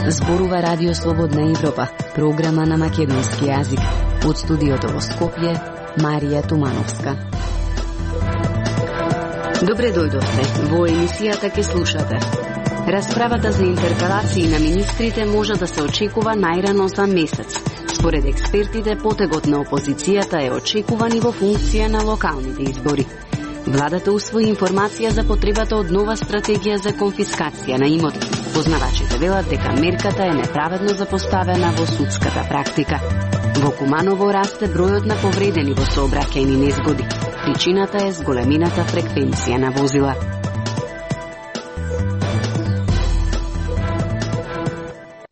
Зборува Радио Слободна Европа, програма на македонски јазик. Од студиото во Скопје, Марија Тумановска. Добре дојдовте. Во емисијата ќе слушате. Расправата за интерпелации на министрите може да се очекува најрано за месец. Според експертите, потегот на опозицијата е очекуван и во функција на локалните избори. Владата усвои информација за потребата од нова стратегија за конфискација на имот. Познавачите велат дека мерката е неправедно запоставена во судската практика. Во Куманово расте бројот на повредени во сообраќајни незгоди. Причината е зголемината фреквенција на возила.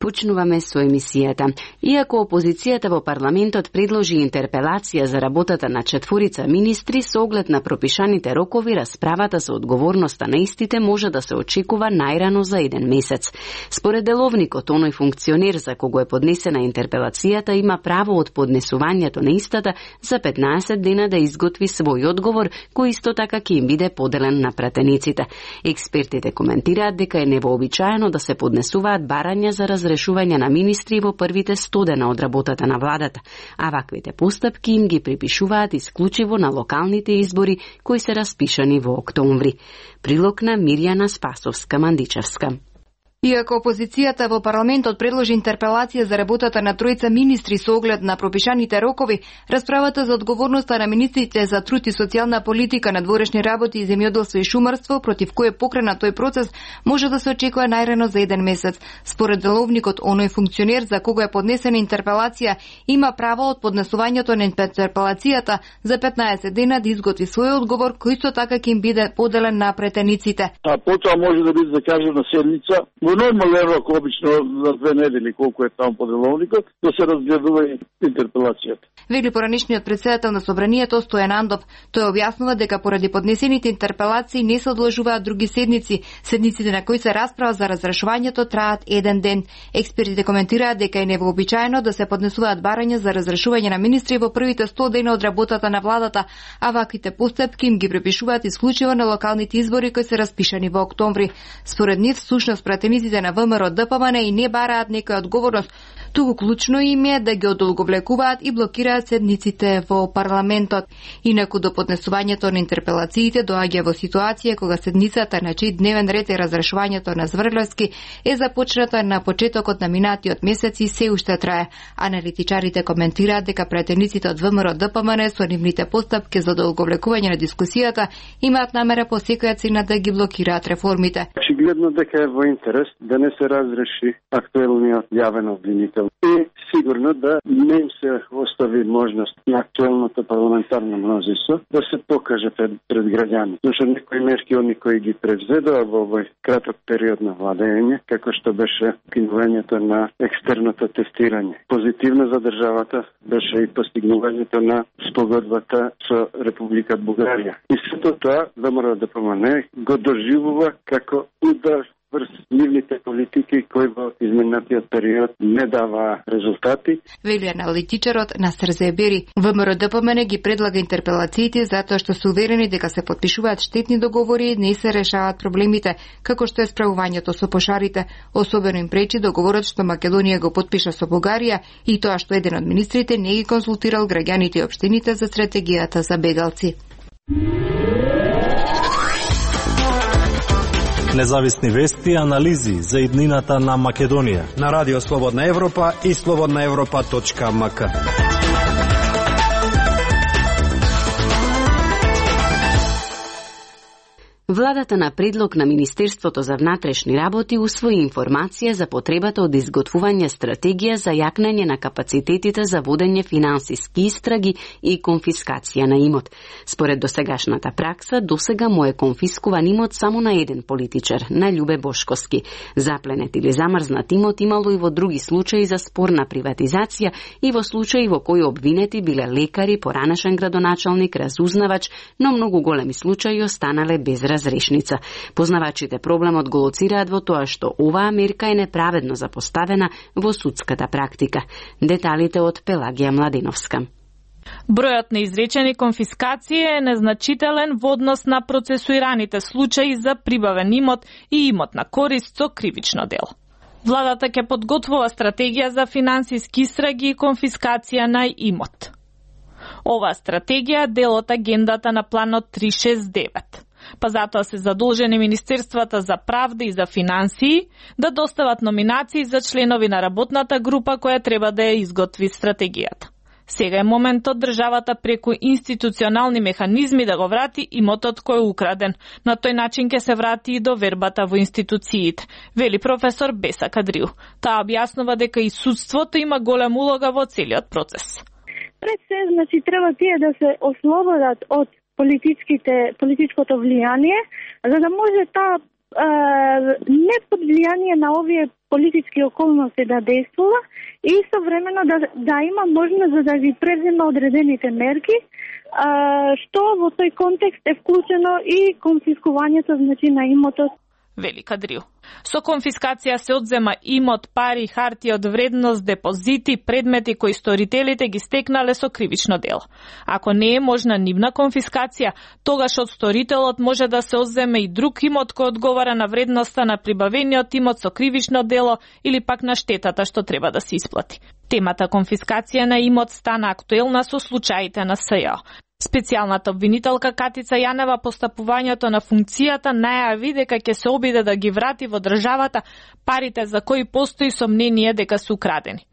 Почнуваме со емисијата. Иако опозицијата во парламентот предложи интерпелација за работата на 4 министри со оглед на пропишаните рокови, расправата за одговорноста на истите може да се очекува најрано за 1 месец. Според деловникот, оној функционер за кого е поднесена интерпелацијата има право од поднесувањето на истата за 15 дена да изготви свој одговор, кој исто така ќе им биде поделен на пратениците. Експертите коментираат дека е невообичаено да се поднесуваат барања за разрешување на министри во првите 100 дена од работата на владата, а ваквите постапки им ги припишуваат исклучиво на локалните избори кои се распишани во октомври. Прилог на Мирјана Спасовска-Мандичевска. Иако опозицијата во парламентот предложи интерпелација за работата на 3 министри со оглед на пропишаните рокови, расправата за одговорноста на министрите за труд и социјална политика, надворешни работи, земјоделство и шумарство, против кој е покренат тој процес, може да се очекува најрано за 1 месец. Според деловникот, оној функционер за кого е поднесена интерпелација има право од поднесувањето на интерпелацијата за 15 дена да изготви свој одговор, кој исто така ќе им биде поделен на претениците. А потоа може да биде закажана седница во нормален рок, обично за 2 недели, колку е таму по деловникот, да се разгледува интерпелацијата. Вели поранешниот председател на Собранието Стојан Андов. Тој објаснува дека поради поднесените интерпелации не се одложуваат други седници. Седниците на кои се расправа за разрешувањето траат 1 ден. Експертите коментираат дека е невообичаено да се поднесуваат барања за разрешување на министри во првите 100 дена од работата на владата, а ваквите постапки им ги припишуваат исклучиво на локалните избори кои се распишани во октомври. Според нив, всушност пратениците на ВМРО ДПМН и не бараат некоја одговорност, туку клучно им е да ги одолговлекуваат и блокираат седниците во парламентот. Инаку до поднесувањето на интерпелациите доаѓа во ситуација кога седницата на чиј дневен ред е разрешувањето на Зврлевски е започната на почетокот на минатиот месец и се уште трае. Аналитичарите коментираат дека пратениците од ВМРО ДПМН со нивните постапки за одолговлекување на дискусијата имаат намера по секоја цена да ги блокираат реформите. Очигледно дека е во интерес да не се разреши актуелниот јавен обвинител и сигурно да не им се остави можност на актуелното парламентарно мнозинство да се покаже пред граѓани. Зашто некои мерки они кои ги превзедоа во овој краток период на владење, како што беше кинувањето на екстерното тестирање. Позитивно за државата беше и постигнувањето на спогодбата со Република Бугарија. И сето тоа ВМРО ДПМН го доживува како удар врз нивните политики кои во изминатиот период не дава резултати. Вели аналитичарот Насер Зебери. ВМРО ДПМН ги предлага интерпелациите затоа што се уверени дека се потпишуваат штетни договори и не се решаваат проблемите, како што е справувањето со пошарите. Особено им пречи договорот што Македонија го потпиша со Бугарија и тоа што еден од министрите не ги консултирал граѓаните и општините за стратегијата за бегалци. Независни вести и анализи за иднината на Македонија на Радио Слободна Европа и slobodnaevropa.mk. Владата на предлог на Министерството за внатрешни работи усвои информација за потребата од изготвување стратегија за јакнење на капацитетите за водење финансиски истраги и конфискација на имот. Според досегашната пракса, досега му е конфискуван имот само на еден политичар, на Љубе Бошковски. Запленет или замрзнат имот имало и во други случаи за спорна приватизација и во случаи во кои обвинети биле лекари, поранешен градоначалник, разузнавач, но многу големи случаи останале без разрешница. Познавачите проблемот го лоцираат во тоа што оваа мерка е неправедно запоставена во судската практика. Деталите од Пелагија Младеновска. Бројот на изречени конфискации е незначителен во однос на процесуираните случаи за прибавен имот и имот на корист со кривично дело. Владата ќе подготвува стратегија за финансиски истраги и конфискација на имот. Оваа стратегија е дел од агендата на планот 369. Па затоа се задолжени Министерствата за правда и за финансии да достават номинации за членови на работната група која треба да ја изготви стратегијата. Сега е моментот државата преку институционални механизми да го врати имотот кој е украден. На тој начин ќе се врати и довербата во институциите, вели професор Беса Кадриу. Таа објаснува дека и судството има голема улога во целиот процес. Пред се, значи, треба тие да се ослободат од политичкото влијание, за да може таа не под влијание на овие политички околности да действува и современо да има можност да ги презема одредените мерки, што во тој контекст е вклучено и конфискувањето, значи, на имотот. Вели Кадриу. Со конфискација се одзема имот, пари, хартија од вредност, депозити, предмети кои сторителите ги стекнале со кривично дело. Ако не е можна нивна конфискација, тогаш од сторителот може да се одземе и друг имот кој одговара на вредноста на прибавениот имот со кривично дело или пак на штетата што треба да се исплати. Темата конфискација на имот стана актуелна со случаите на СЈО. Специјалната обвинителка Катица Јанева по стапувањето на функцијата најави дека ќе се обиде да ги врати во државата парите за кои постои сомнение дека се украдени.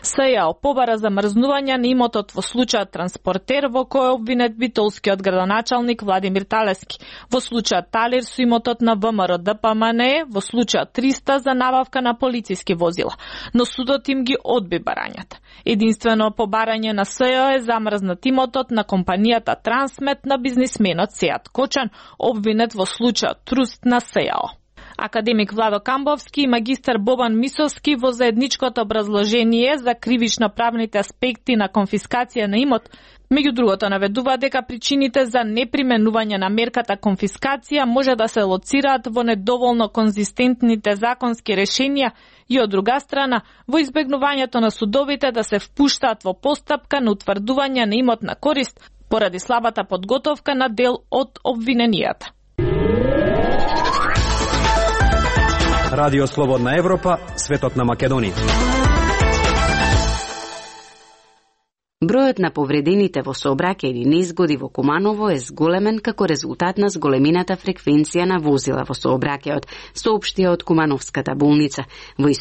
СЈО побара замрзнување на имотот во случајот Транспортер во кој е обвинет битолскиот градоначалник Владимир Талески, во случајот Талир со имотот на ВМРО ДПМНЕ, во случајот 300 за набавка на полициски возила, но судот им ги одби барањата. Единствено по барање на СЈО е замрзнат имотот на компанијата Трансмет на бизнисменот Сеат Кочан, обвинет во случајот Труст на СЈО. Академик Владо Камбовски и магистар Бобан Мисовски во заедничкото образложение за кривично-правните аспекти на конфискација на имот, меѓу другото наведува дека причините за неприменување на мерката конфискација може да се лоцираат во недоволно конзистентните законски решенија и од друга страна во избегнувањето на судовите да се впуштаат во постапка на утврдување на имот на корист поради слабата подготовка на дел од обвиненијата. Радио Слободна Европа, светот на Македонија. Бројот на повредените во сообраќајни незгоди во Куманово е зголемен како резултат на зголемината фреквенција на возила во сообраќајот, соопштија од Кумановската болница. Во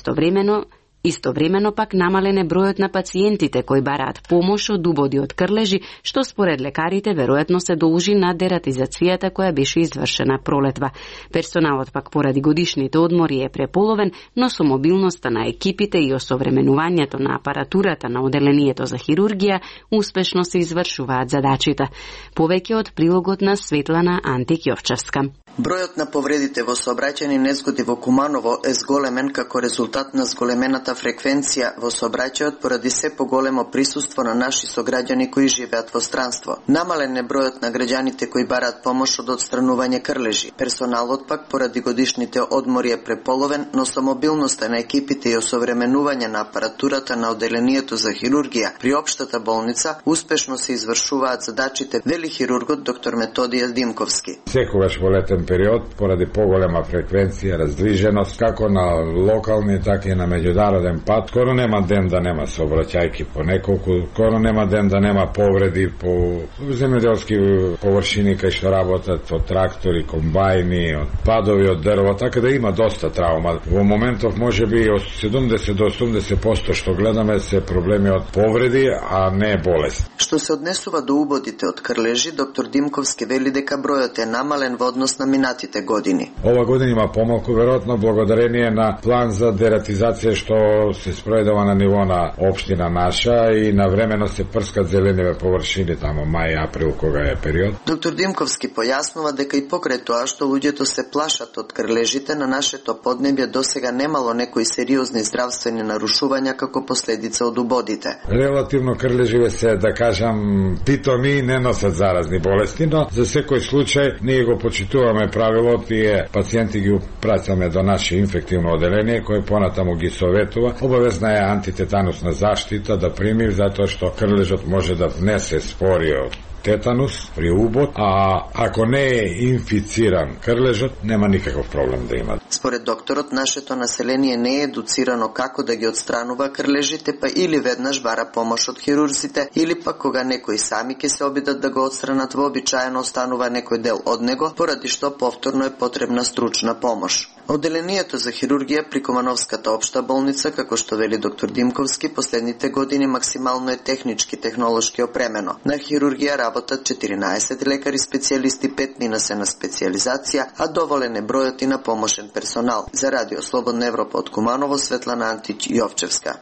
Истовремено пак намален е бројот на пациентите кои бараат помош од убоди од крлежи, што според лекарите веројатно се должи на дератизацијата која беше извршена пролетва. Персоналот пак поради годишните одмори е преполовен, но со мобилноста на екипите и осовременувањето на апаратурата на оделението за хирургија успешно се извршуваат задачите. Повеќе од прилогот на Светлана Антик-Јовчевска. Бројот на повредите во сообраќајни незгоди во Куманово е зголемен како резултат на зголемената фреквенција во сообраќајот поради се поголемо присуство на наши сограѓани кои живеат во странство. Намален е бројот на граѓаните кои бараат помош од отстранување крлежи. Персоналот пак поради годишните одмори е преполовен, но со мобилноста на екипите и осовременување на апаратурата на оделението за хирургија при општата болница успешно се извршуваат задачите, вели хирургот доктор Методија Димковски. Секогаш во летен период, поради поголема фреквенција, раздвиженост, како на локални, така и на меѓународен пат, скоро нема ден да нема сообраќајки по неколку, скоро нема ден да нема повреди по земјоделски површини кај што работат од трактори, комбајни, од падови од дрво, така да има доста травма. Во моментов можеби од 70 до 80% што гледаме се проблеми од повреди, а не болест. Што се однесува до убодите од крлежи, доктор Димковски вели дека бројот е намален во однос на минатите години. Ова година има помалку, веројатно благодарение на план за дератизација што се спроведува на ниво на општина наша и навремено се прскат зелениве површини тамо мај, април, кога е период. Доктор Димковски појаснува дека и покрај тоа што луѓето се плашат од крлежите, на нашето поднебје досега немало некои сериозни здравствени нарушувања како последица од убодите. Релативно крлеживе се, да кажем, кажам, питоми не носат заразни болести, но за секој случај ние го почитуваме правило, тие пациенти ги упраќаме до наше инфективно оделение кој понатаму ги советува. Обавезна е антитетанусна заштита да прими, затоа што крлежот може да внесе спориот тетанус при убот, а ако не е инфициран крлежот, нема никаков проблем да има. Според докторот, нашето население не е едуцирано како да ги отстранува крлежите, па или веднаш бара помош од хирурзите, или пак кога некои сами ќе се обидат да го отстранат, вообичаено останува некој дел од него, поради што повторно е потребна стручна помош. Оделението за хирургија при Кумановската општа болница, како што вели доктор Димковски, последните години максимално е технички, технолошки опремено. На хирургија работат 14 лекари специјалисти, 5 мина се на специјализација, а доволен е бројот и на помошен персонал. За Радио Слободна Европа од Куманово, Светлана Антич-Јовчевска.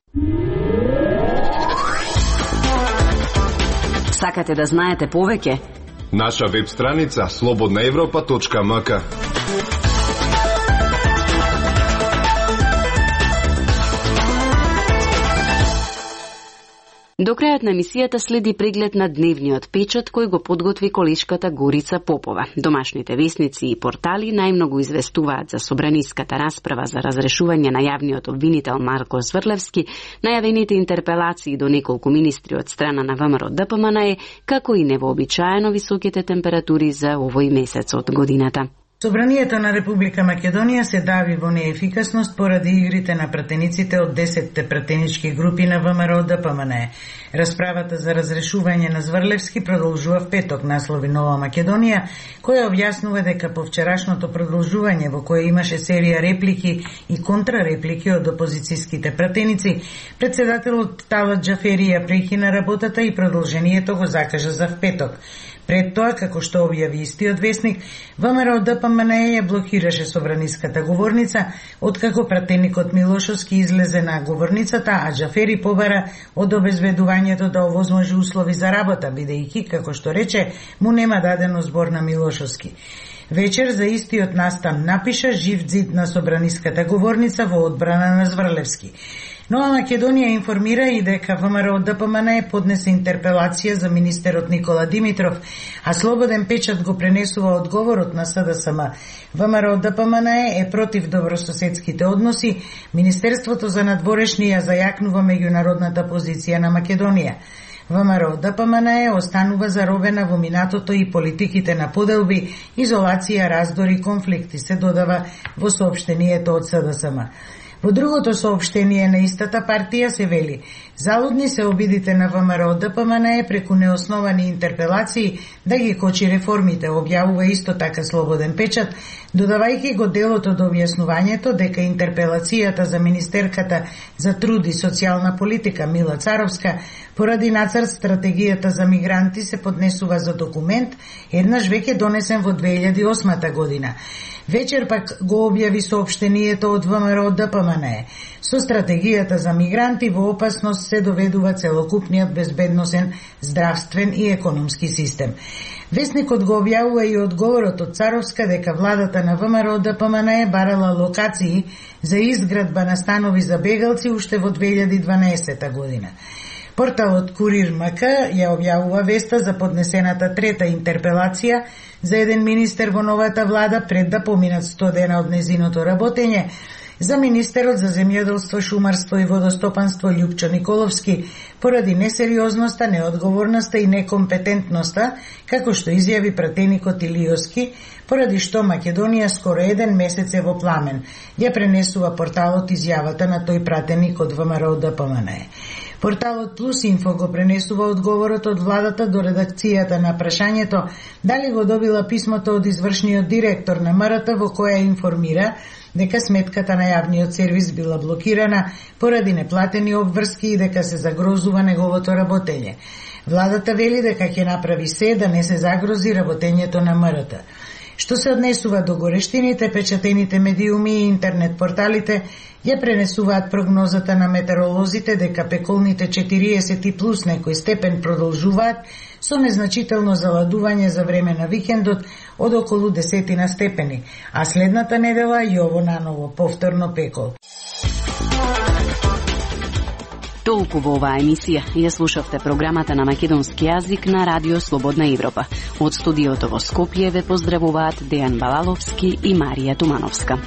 Сакате да знаете повеќе? Наша веб страница slobodnaevropa.mk. До крајот на емисијата следи преглед на дневниот печат кој го подготви колешката Горица Попова. Домашните весници и портали најмногу известуваат за собраниската расправа за разрешување на јавниот обвинител Марко Зврлевски, најавените интерпелации до неколку министри од страна на ВМРО-ДПМНЕ, како и невообичаено високите температури за овој месец од годината. Собранието на Република Македонија се дави во неефикасност поради игрите на пратениците од 10 пратенички групи на ВМРО-ДПМНЕ. Расправата за разрешување на Зврлевски продолжува в петок, наслови Нова Македонија, која објаснува дека по вчерашното продолжување во кое имаше серија реплики и контрареплики од опозицијските пратеници, председателот Талат Џафери ја прекина работата и продолжението го закажа за в петок. Пред тоа, како што објави истиот весник, ВМРО-ДПМНЕ ја блокираше собраниската говорница, откако пратеникот Милошовски излезе на говорницата, а Џафери побара од обезведувањето да овозможи услови за работа, бидејќи, како што рече, му нема дадено збор на Милошовски. Вечер за истиот настан напиша жив ѕид на собраниската говорница во одбрана на Зврлевски. Нова Македонија информира и дека ВМРО-ДПМНЕ поднесе интерпелација за министерот Никола Димитров, а Слободен печат го пренесува одговорот на СДСМ. ВМРО-ДПМНЕ е против добрососедските односи, Министерството за надворешни ја зајакнува меѓународната позиција на Македонија. ВМРО-ДПМНЕ останува заробена во минатото и политиките на поделби, изолација, раздори и конфликти, се додава во соопштението од СДСМ. Во другото соопштение на истата партија се вели: залудни се обидите на ВМРО-ДПМНЕ преку неосновани интерпелации да ги кочи реформите, објавува исто така Слободен печат, додавајќи го делот од објаснувањето дека интерпелацијата за министерката за труд и социјална политика Мила Царовска поради нацрт стратегијата за мигранти се поднесува за документ, еднаш веќе донесен во 2008 година. Вечер пак го објави соопштението од ВМРО-ДПМНЕ. Со стратегијата за мигранти во опасност се доведува целокупниот безбедносен, здравствен и економски систем. Весникот го објавува и одговорот од Царовска дека владата на ВМРО-ДПМНЕ барала локации за изградба на станови за бегалци уште во 2012 година. Порталот Курир МК ја објавува веста за поднесената трета интерпелација за еден министер во новата влада пред да поминат 100 дена од незиното работење, за министерот за земјоделство, шумарство и водостопанство Љупчо Николовски поради несериозноста, неодговорноста и некомпетентноста, како што изјави пратеникот Илиоски, поради што Македонија скоро еден месец е во пламен. Ја пренесува порталот изјавата на тој пратеник од ВМРО-ДПМНЕ. Порталот Плюс Инфо го пренесува одговорот од владата до редакцијата на прашањето дали го добила писмото од извршниот директор на МРТ во која информира дека сметката на јавниот сервис била блокирана поради неплатени обврски и дека се загрозува неговото работење. Владата вели дека ќе направи се да не се загрози работењето на МРТ. Што се однесува до горештините, печатените медиуми и интернет порталите ја пренесуваат прогнозата на метеоролозите дека пеколните 40 и плюс некој степен продолжуваат со незначително заладување за време на викендот од околу 10 степени, а следната недела и ово наново повторно пекол. Толку во оваа емисија. Ја слушавте програмата на македонски јазик на Радио Слободна Европа. Од студиото во Скопје ве поздравуваат Дејан Балаловски и Марија Тумановска.